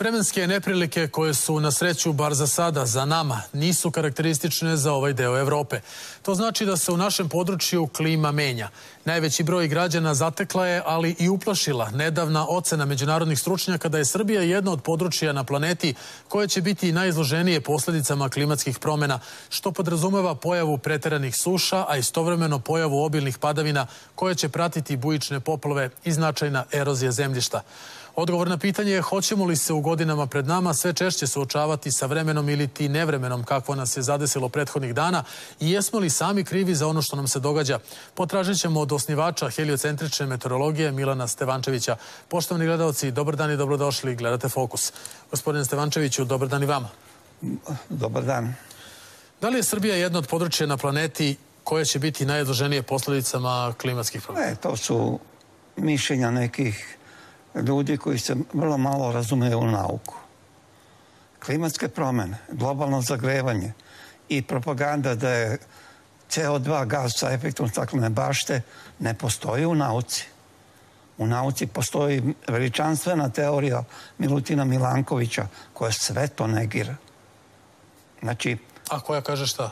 Vremenske neprilike koje su na sreću, bar za sada, za nama, nisu karakteristične za ovaj deo Evrope. To znači da se u našem području klima menja. Najveći broj građana zatekla je, ali i uplašila nedavna ocena međunarodnih stručnjaka da je Srbija jedno od područja na planeti koje će biti najizloženije posledicama klimatskih promena, što podrazumeva pojavu preteranih suša, a istovremeno pojavu obilnih padavina koje će pratiti bujične poplave i značajna erozija zemljišta. Odgovor na pitanje je hoćemo li se u godinama pred nama sve češće suočavati sa vremenom ili ti nevremenom kakvo nas je zadesilo prethodnih dana i jesmo li sami krivi za ono što nam se događa. Potražit ćemo od osnivača heliocentrične meteorologije Milana Stevančevića. Poštovani gledalci, dobar dan i dobrodošli. Gledate Fokus. Gospodine Stevančeviću, dobar dan i vama. Dobar dan. Da li je Srbija jedno od područja na planeti koje će biti najizloženije posledicama klimatskih promena? To su mišljenja nekih ljudi koji se vrlo malo razumeju u nauku. Klimatske promene, globalno zagrevanje i propaganda da je CO2 gas sa efektom staklene bašte ne postoji u nauci. U nauci postoji veličanstvena teorija Milutina Milankovića koja sve to negira. Znači... A koja kaže šta?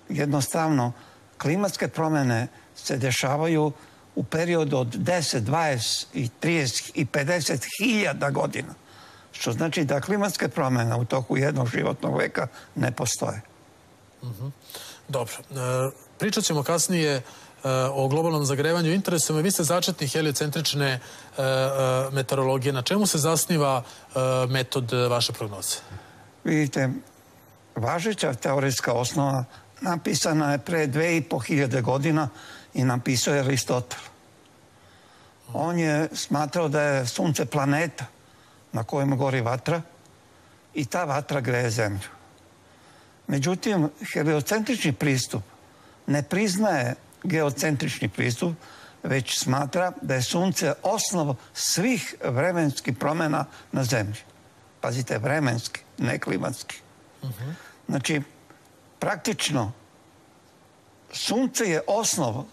Jednostavno, klimatske promene se dešavaju u periodu od 10, 20, i 30 i 50 hiljada godina. Što znači da klimatske promene u toku jednog životnog veka ne postoje. Dobro. Pričat ćemo kasnije o globalnom zagrevanju. Interesuje me, vi ste začetnik heliocentrične meteorologije. Na čemu se zasniva metod vaše prognoze? Vidite, važeća teorijska osnova napisana je pre 2500 godina i napisao je Aristotel. On je smatrao da je sunce planeta na kojem gori vatra i ta vatra greje zemlju. Međutim, heliocentrični pristup ne priznaje geocentrični pristup, već smatra da je sunce osnov svih vremenskih promjena na zemlji. Pazite, vremenski, ne klimatski. Znači, praktično, sunce je osnov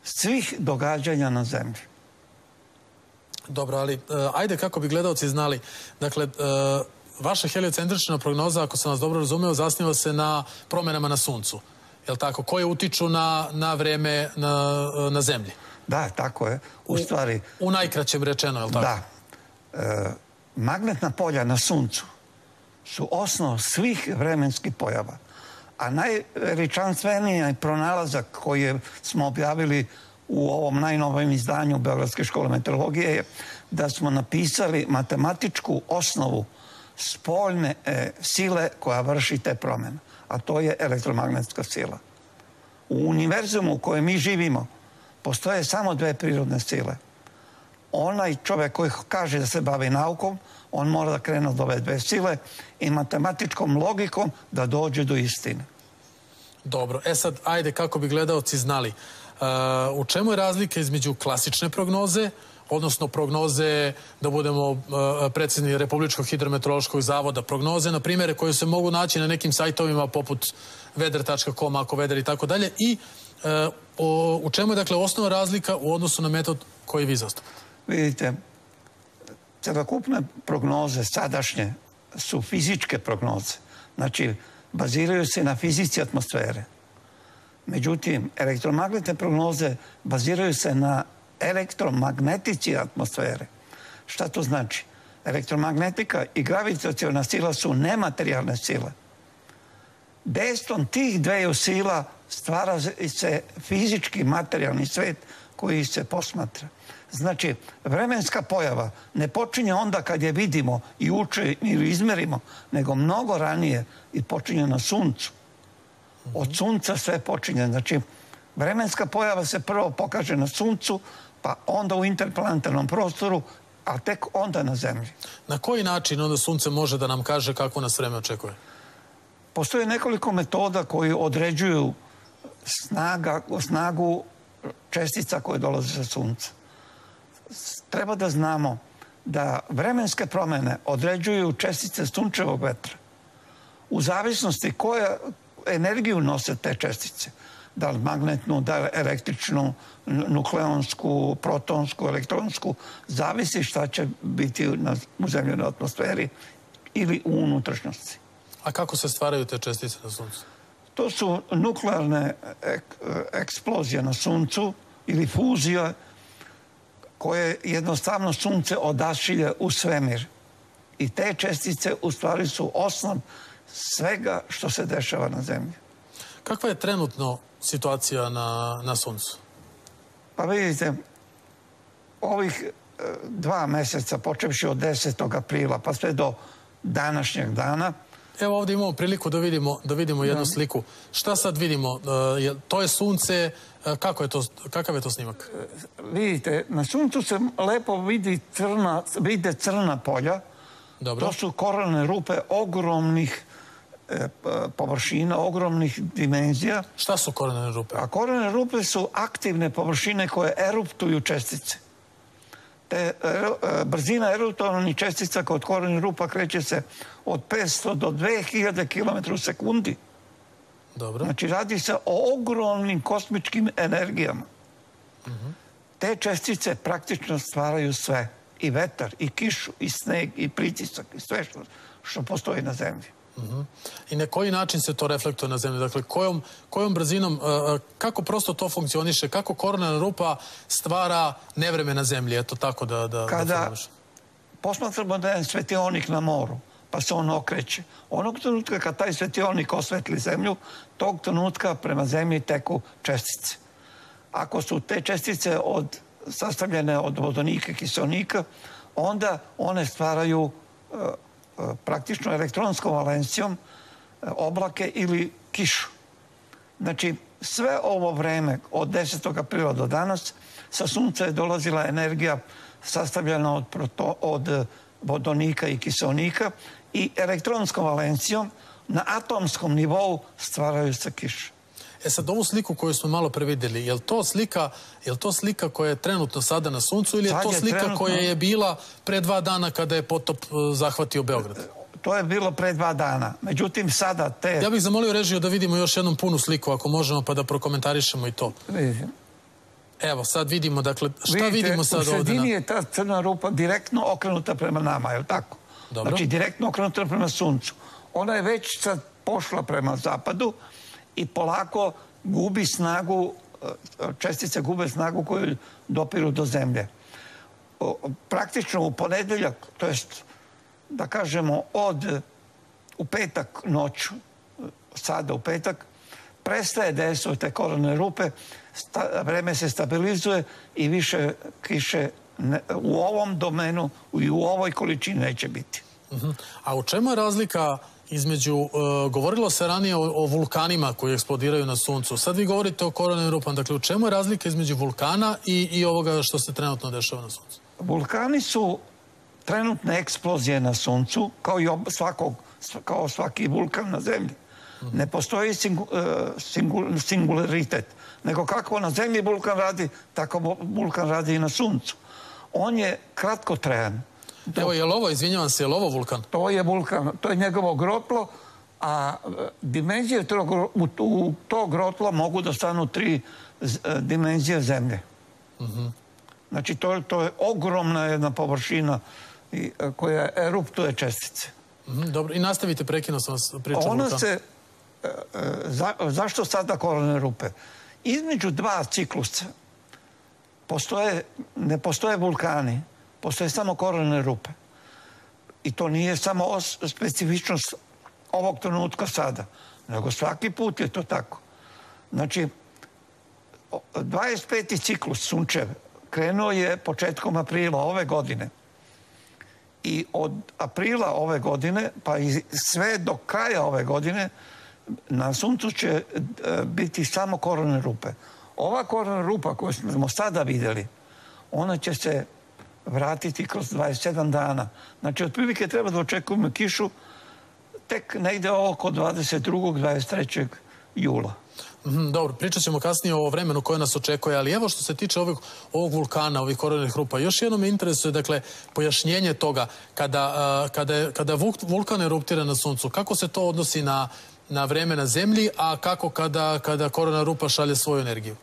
svih događanja na zemlji. Dobro, ali ajde kako bi gledalci znali. Dakle, vaša heliocentrična prognoza, ako sam vas dobro razumeo, zasniva se na promenama na suncu. Je li tako? Koje utiču na vreme na zemlji? Da, tako je. U stvari... U najkraćem rečeno, je li tako? Da. Magnetna polja na suncu su osnov svih vremenskih pojava. A najveličanstveniji pronalazak koji smo objavili u ovom najnovijem izdanju Beogradske škole meteorologije je da smo napisali matematičku osnovu spoljne sile koja vrši te promjene. A to je elektromagnetska sila. U univerzumu u kojem mi živimo postoje samo dve prirodne sile. Onaj čovjek koji kaže da se bavi naukom, on mora da krene od ove dve sile i matematičkom logikom da dođe do istine. Dobro. Sad, ajde, kako bi gledalci znali. U čemu je razlika između klasične prognoze, odnosno prognoze, da budemo precizni, Republičkog hidrometeorološkog zavoda, prognoze, na primjere, koje se mogu naći na nekim sajtovima poput vedar.com, ako vedar i tako dalje, i u čemu je, dakle, osnovna razlika u odnosu na metod koji vi zastupate? Vidite, celokupne prognoze sadašnje su fizičke prognoze. Znači, baziraju se na fizici atmosfere. Međutim, elektromagnetne prognoze baziraju se na elektromagnetici atmosfere. Šta to znači? Elektromagnetika i gravitaciona sila su nematerijalne sile. Dejstvom tih dveju sila stvara se fizički materijalni svet koji se posmatra. Znači, vremenska pojava ne počinje onda kad je vidimo i ili izmerimo, nego mnogo ranije i počinje na suncu. Od sunca sve počinje. Znači, vremenska pojava se prvo pokaže na suncu, pa onda u interplanetarnom prostoru, a tek onda na zemlji. Na koji način onda sunce može da nam kaže kako nas vreme očekuje? Postoje nekoliko metoda koji određuju snagu čestica koje dolaze sa sunca. Treba da znamo da vremenske promjene određuju čestice sunčevog vetra. U zavisnosti koja energiju nose te čestice. da li magnetnu, da li električnu, nukleonsku, protonsku, elektronsku, zavisi šta će biti u zemljenoj atmosferi ili u unutrašnjosti. A kako se stvaraju te čestice na Suncu? To su nuklearne eksplozije na Suncu ili fuzija koje jednostavno Sunce odašilje u svemir. I te čestice u stvari su osnov svega što se dešava na Zemlji. Kakva je trenutno situacija na Suncu? Pa vidite, ovih 2 meseca, počevši od 10. aprila pa sve do današnjeg dana. Evo ovdje imamo priliku da vidimo jednu sliku. Šta sad vidimo? To je Sunce, kakav je to snimak? Vidite, na Suncu se lepo vide crna polja. Dobro. To su koronne rupe ogromnih površina, ogromnih dimenzija. Šta su koronne rupe? A koronne rupe su aktivne površine koje eruptuju čestice. Brzina eruptovnih čestica kod koronnih rupa kreće se od 500 do 2000 km u sekundi. Dobro. Znači, radi se o ogromnim kosmičkim energijama. Te čestice praktično stvaraju sve. I vetar, i kišu, i sneg, i pritisak, i sve što postoji na Zemlji. I na koji način se to reflektuje na Zemlji? Dakle, kojom brzinom, kako prosto to funkcioniše? Kako korona rupa stvara nevreme na Zemlji? Eto tako da kada posmatramo da je svetionik na moru, pa se on okreće. Onog trenutka kad taj svetionik osvetli Zemlju, tog trenutka prema Zemlji teku čestice. Ako su te čestice sastavljene od vodonika i kiseonika, onda one stvaraju praktično elektronskom valencijom oblake ili kišu. Znači, sve ovo vreme od 10. aprila do danas sa Sunca je dolazila energija sastavljena od vodonika i kiseonika i elektronskom valencijom na atomskom nivou stvaraju se kiše. E sad, ovu sliku koju smo malo previdjeli, je li to slika koja je trenutno sada na Suncu ili je to slika koja je bila pre 2 dana kada je potop zahvatio Beograd? To je bilo pre 2 dana. Međutim, sada te... Ja bih zamolio režiju da vidimo još jednom punu sliku, ako možemo, pa da prokomentarišemo i to. Vidim. Evo, sad vidimo, dakle, šta vidimo sad ovdje? U sredini je ta crna rupa direktno okrenuta prema nama, je li tako? Dobro. Znači, direktno okrenuta prema Suncu. Ona je već sad pošla prema zapadu i polako gubi snagu, čestice gube snagu koju dopiru do Zemlje. Praktično u ponedeljak, to jest da kažemo u petak noću, sada u petak, prestaje dejstvo te koronne rupe, vreme se stabilizuje i više kiše u ovom domenu i u ovoj količini neće biti. A u čemu je razlika između, govorilo se ranije o vulkanima koji eksplodiraju na Suncu, sad vi govorite o koronnim rupama, dakle u čemu je razlika između vulkana i ovoga što se trenutno dešava na Suncu? Vulkani su trenutne eksplozije na Suncu, kao svaki vulkan na Zemlji. Ne postoji singularitet, nego kako na Zemlji vulkan radi, tako vulkan radi i na Suncu. On je kratkotrajan. Evo, je li ovo, izvinjavam se, je li ovo vulkan? To je vulkan, to je njegovo grotlo, a dimenzije u to grotlo mogu da stanu 3 dimenzije Zemlje. Znači, to je ogromna jedna površina koja eruptuje čestice. Dobro, i nastavite, prekinuo sam vas priču o vulkanu. Zašto sada koronne rupe? Između 2 ciklusa ne postoje vulkani, postoje samo koronne rupe. I to nije samo specifičnost ovog trenutka sada, nego svaki put je to tako. Znači, 25. ciklus Sunčev krenuo je početkom aprila ove godine. I od aprila ove godine, pa i sve do kraja ove godine, na Suncu će biti samo koronne rupe. Ova korona rupa koju smo sada vidjeli, ona će se vratiti kroz 27 dana. Znači, otprilike treba da očekujemo kišu tek negde oko 22. 23. jula. Dobro, pričat ćemo kasnije o vremenu koje nas očekuje, ali evo što se tiče ovog vulkana, ovih koronnih rupa, još jedno me interesuje, dakle, pojašnjenje toga, kada vulkan eruptira na Suncu, kako se to odnosi na vreme na zemlji, a kako kada korona rupa šalje svoju energiju?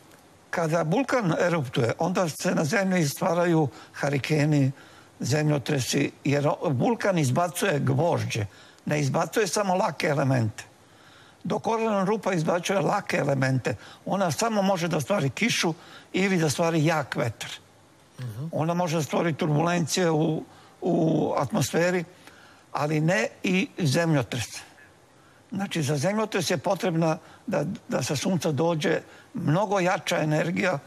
Kada vulkan eruptuje, onda se na zemlji stvaraju harikeni, zemljotresi, jer vulkan izbacuje gvožđe, ne izbacuje samo lake elemente. Dok korona rupa izbacuje lake elemente, ona samo može da stvari kišu ili da stvari jak vetar. Ona može da stvori turbulencije u atmosferi, ali ne i zemljotres. Znači, za zemljotres je potrebna da sa sunca dođe mnogo jača energija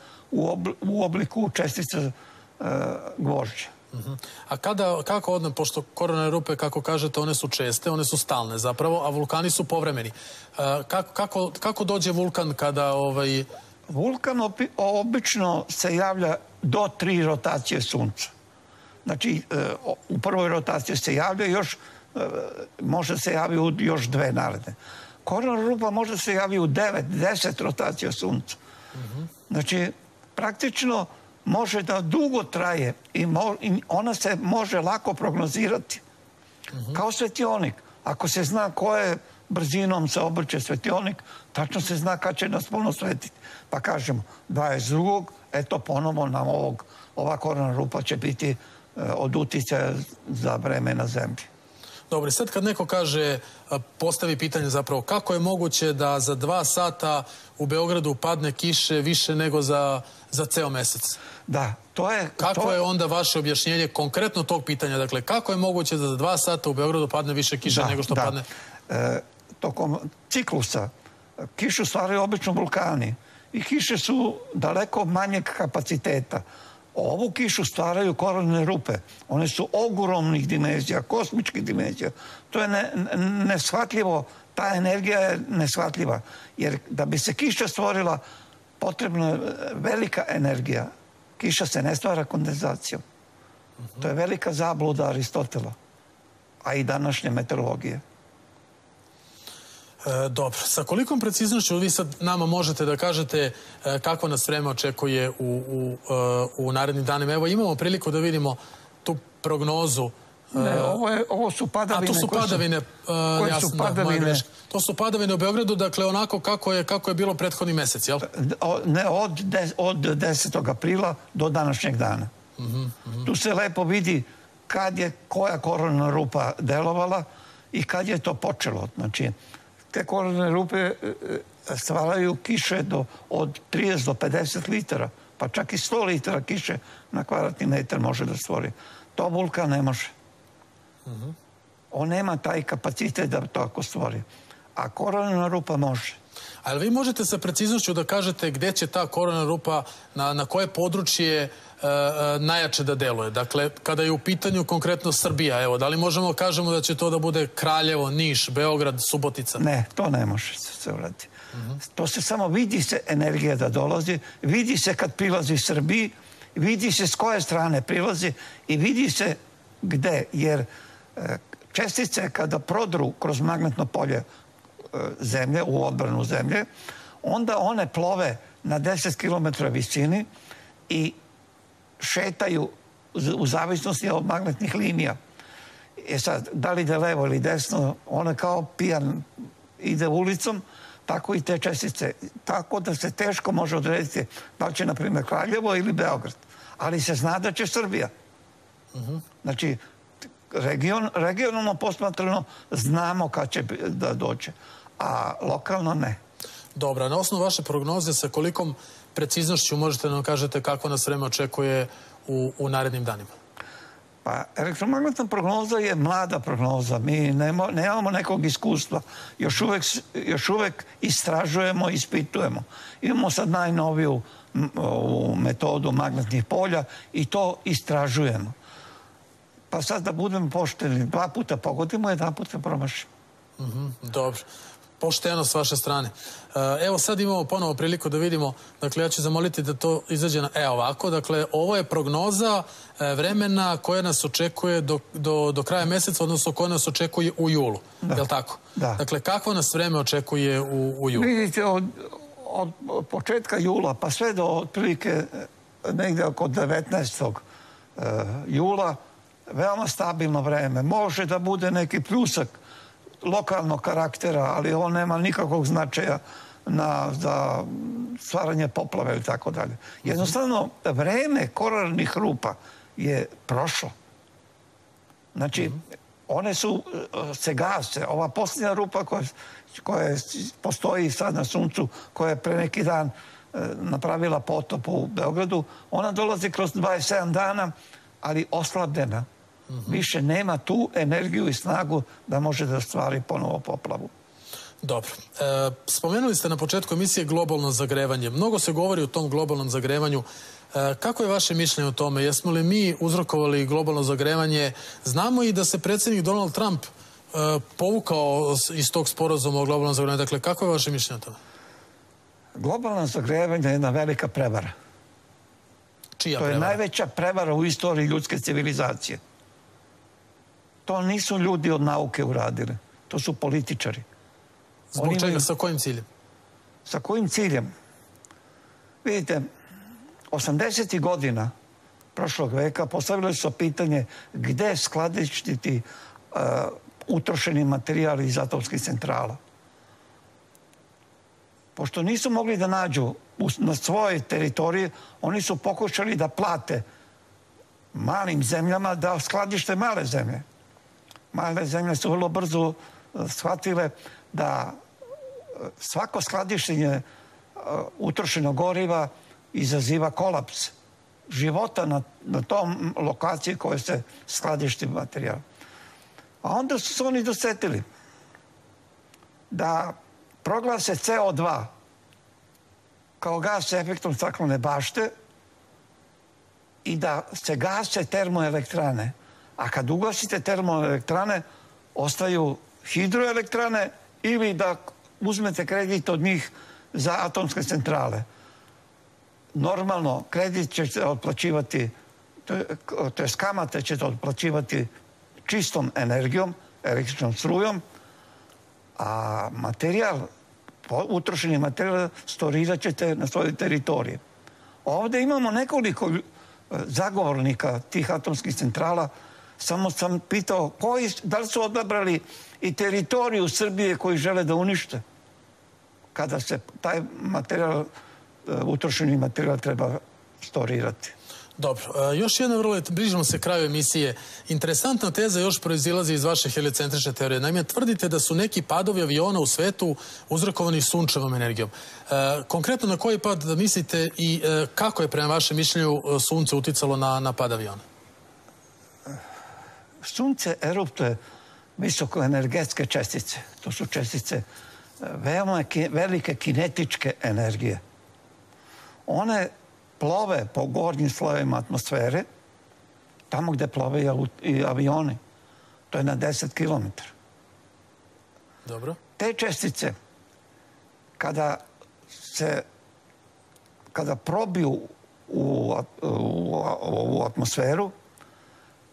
u obliku čestica gvožđa. A kako odne, pošto korona rupe, kako kažete, one su česte, one su stalne zapravo, a vulkani su povremeni. Kako dođe vulkan kada... Vulkan obično se javlja do 3 rotacije sunca. Znači, u prvoj rotaciji se javlja, još može se javi u još 2 naredne. Korona rupa može se javi u 9, 10 rotacija sunca. Znači, praktično može da dugo traje i ona se može lako prognozirati. Kao svetionik. Ako se zna koje brzinom se obrće svetionik, tačno se zna kad će nas puno svetiti. Pa kažemo, 22. eto ponovo nam ova korona rupa će biti od uticaja za vreme na zemlji. Dobro, i sad kad neko kaže, postavi pitanje zapravo, kako je moguće da za 2 sata u Beogradu padne kiše više nego za ceo mesec? Da, to je... Kako je onda vaše objašnjenje konkretno tog pitanja? Dakle, kako je moguće da za 2 sata u Beogradu padne više kiše nego što padne? Tokom ciklusa kišu stvaraju obično vulkani i kiše su daleko manjeg kapaciteta. Ovu kišu stvaraju koronne rupe. One su ogromnih dimenzija, kosmičkih dimenzija. To je neshvatljivo, ta energija je neshvatljiva. Jer da bi se kiša stvorila, potrebna je velika energija. Kiša se ne stvara kondenzacijom. To je velika zabluda Aristotela, a i današnje meteorologije. Dobro. Sa kolikom preciznošću vi sad nama možete da kažete kako nas vreme očekuje u narednim danima? Evo, imamo priliku da vidimo tu prognozu. Ne, ovo su padavine. A to su padavine, jasno, da, moja greška. To su padavine u Beogradu, dakle, onako kako je bilo prethodni mesec, jel? Ne, od 10. aprila do današnjeg dana. Tu se lepo vidi kad je koja korona rupa delovala i kad je to počelo. Znači, te koronne rupe stvaraju kiše od 30 do 50 litara, pa čak i 100 litara kiše na kvadratni metar može da stvori. To vulkan ne može. On nema taj kapacitet da to ako stvori. A korona rupa može. Ali vi možete sa preciznošću da kažete gde će ta korona rupa, na koje područje najjače da deluje? Dakle, kada je u pitanju konkretno Srbija, evo, da li možemo kažemo da će to da bude Kraljevo, Niš, Beograd, Subotica? Ne, to ne može se uraditi. To se samo vidi se energija da dolazi, vidi se kad prilazi Srbiji, vidi se s koje strane prilazi i vidi se gde, jer čestice kada prodru kroz magnetno polje zemlje, u odbranu zemlje, onda one plove na 10 km visini i šetaju u zavisnosti od magnetnih linija. Sad, da li ide levo ili desno, ona kao pijan ide ulicom, tako i te čestice. Tako da se teško može odrediti da li će, na primjer, Kraljevo ili Beograd. Ali se zna da će Srbija. Znači, regionalno posmatrano znamo kad će da dođe, a lokalno ne. Dobro, na osnovu vaše prognoze sa kolikom preciznošću možete nam kažete kako nas vreme očekuje u narednim danima? Pa, elektromagnetna prognoza je mlada prognoza. Mi nemamo nekog iskustva. Još uvek istražujemo, ispitujemo. Imamo sad najnoviju metodu magnetnih polja i to istražujemo. Pa sad da budemo pošteni, 2 puta pogodimo, 1 puta promašimo. Dobro. Pošteno s vaše strane. Evo sad imamo ponovo priliku da vidimo, dakle ja ću zamoliti da to izađe ovako, dakle ovo je prognoza vremena koja nas očekuje do kraja meseca, odnosno koja nas očekuje u julu, je li tako? Da. Dakle, kakvo nas vreme očekuje u julu? Vidite, od početka jula pa sve do otprilike negde oko 19. jula veoma stabilno vreme. Može da bude neki pljusak lokalnog karaktera, ali on nema nikakvog značaja za stvaranje poplave i tako dalje. Jednostavno, vreme koraljnih rupa je prošlo. Znači, one se gase. Ova posljednja rupa koja postoji sad na Suncu, koja je pre neki dan napravila potop u Beogradu, ona dolazi kroz 27 dana, ali oslabljena. Više nema tu energiju i snagu da može da stvari ponovo poplavu. Dobro. Spomenuli ste na početku emisije globalno zagrevanje. Mnogo se govori o tom globalnom zagrevanju. Kako je vaše mišljenje o tome? Jesmo li mi uzrokovali globalno zagrevanje? Znamo i da se predsjednik Donald Trump povukao iz tog sporazuma o globalnom zagrevanju. Dakle, kako je vaše mišljenje o tome? Globalno zagrevanje je jedna velika prevara. Čija prevara? To je najveća prevara u istoriji ljudske civilizacije. To nisu ljudi od nauke uradili. To su političari. Zbog čega? Sa kojim ciljem? Sa kojim ciljem? Vidite, 80. godina prošlog veka postavili su pitanje gde skladištiti utrošeni materijal iz atomskih centrala. Pošto nisu mogli da nađu na svojoj teritoriji, oni su pokušali da plate malim zemljama da skladište male zemlje. Male zemlje su vrlo brzo shvatile da svako skladištenje utrošenog goriva izaziva kolaps života na tom lokaciji koje se skladišti materijal. A onda su se oni dosetili da proglase CO2 kao gas sa efektom staklene bašte i da se gase termoelektrane. A kad ugasite termoelektrane, ostaju hidroelektrane ili da uzmete kredit od njih za atomske centrale. Normalno, kredit ćete otplaćivati, to je kamate ćete otplaćivati čistom energijom, električnom strujom, a materijal, utrošeni materijal storirat ćete na svojoj teritoriji. Ovdje imamo nekoliko zagovornika tih atomskih centrala. Samo sam pitao da li su odabrali i teritoriju Srbije koji žele da unište kada se taj materijal, utrošeni materijal treba storirati. Dobro. Još jedna vrlo, bližimo se kraju emisije. Interesantna teza još proizilazi iz vaše heliocentrične teorije. Naime, tvrdite da su neki padovi aviona u svetu uzrokovani sunčevom energijom. Konkretno na koji pad mislite i kako je prema vašem mišljenju sunce uticalo na pad aviona? Sunce eruptuje visokoenergetske čestice. To su čestice veoma velike kinetičke energije. One plove po gornjim slojevima atmosfere, tamo gde plove i avioni. To je na 10 km. Dobro. Te čestice, kada probiju u atmosferu,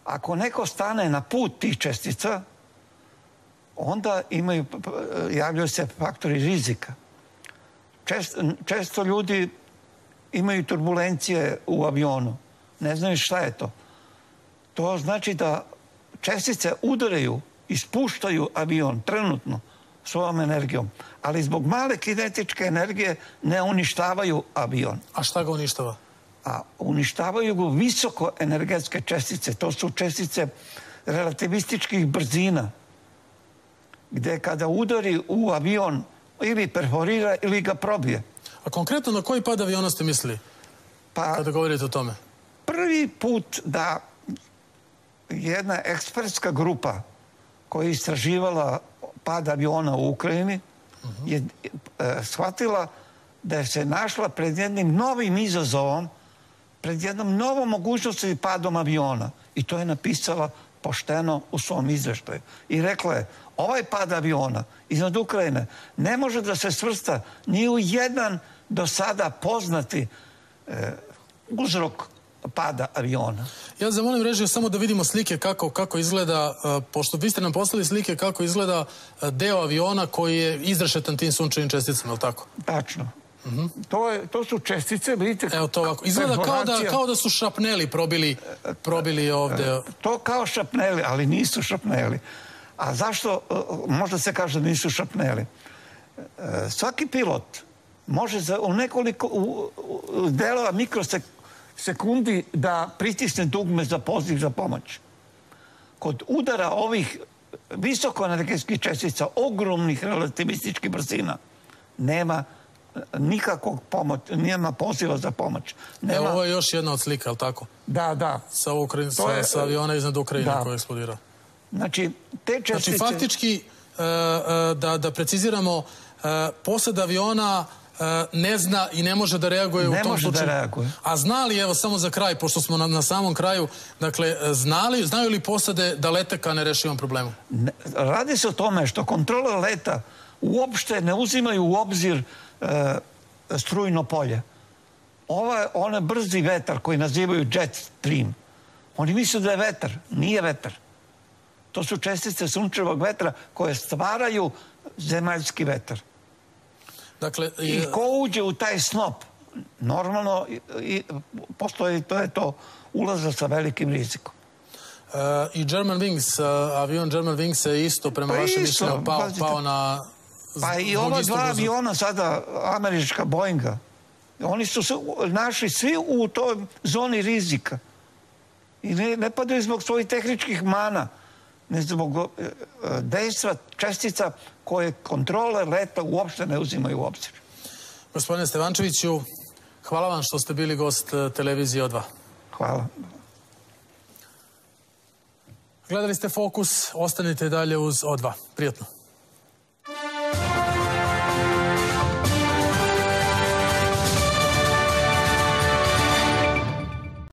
ako neko stane na put tih čestica, onda javljaju se faktori rizika. Često ljudi imaju turbulencije u avionu. Ne znaju šta je to. To znači da čestice udaraju i spuštaju avion trenutno svojom energijom, ali zbog male kinetičke energije ne uništavaju avion. A šta ga uništava? A uništavaju ga visokoenergetske čestice. To su čestice relativističkih brzina, gde kada udari u avion ili perforira ili ga probije. A konkretno na koji pad aviona ste mislili kada govorite o tome? Prvi put da jedna ekspertska grupa koja je istraživala pad aviona u Ukrajini je shvatila da se našla pred jednim novim izazovom, pred jednom novom mogućnosti padom aviona. I to je napisala pošteno u svom izveštaju. I rekla je, ovaj pad aviona iznad Ukrajine ne može da se svrsta ni u jedan do sada poznati uzrok pada aviona. Ja zamolim režiju samo da vidimo slike kako izgleda, pošto vi ste nam poslali slike kako izgleda deo aviona koji je izrešetan tim sunčevim česticama, je li tako? Tačno. To su čestice, vidite... Evo to ovako. Izgleda kao da su šrapneli probili ovde. To kao šrapneli, ali nisu šrapneli. A zašto, možda se kaže da nisu šrapneli. Svaki pilot može u nekoliko delova mikrosekundi da pritisne dugme za poziv za pomoć. Kod udara ovih visokoenergetskih čestica, ogromnih relativističkih brzina, nema nikakvog nema poziva za pomoć. Evo, ovo je još jedna od slika, je li tako? Da. Sa aviona iznad Ukrajine koji je eksplodirao. Znači, te čestice... Znači, faktički, da preciziramo, posada aviona ne zna i ne može da reaguje u tom slučaju. Ne može da reaguje. A zna li, evo, samo za kraj, pošto smo na samom kraju, dakle, znaju li posade da lete ka nerešivom problemu? Radi se o tome što kontrole leta uopšte ne uzimaju u obzir strujno polje. Onaj brzi vetar koji nazivaju jet stream, oni misle da je vetar. Nije vetar. To su čestice sunčevog vetra koje stvaraju zemaljski vetar. I ko uđe u taj snop, normalno postoji to ulazak sa velikim rizikom. I avion German Wings je isto, prema vašem mišljenju, pao na... Pa i ova dva aviona sada, američka Boeinga, oni su se našli svi u toj zoni rizika. I ne padaju zbog svojih tehničkih mana, ne zbog dejstva čestica koje kontrole leta uopšte ne uzimaju u obzir. Gospodine Stevančeviću, hvala vam što ste bili gost televizije O2. Hvala. Gledali ste Fokus, ostanite dalje uz O2. Prijatno.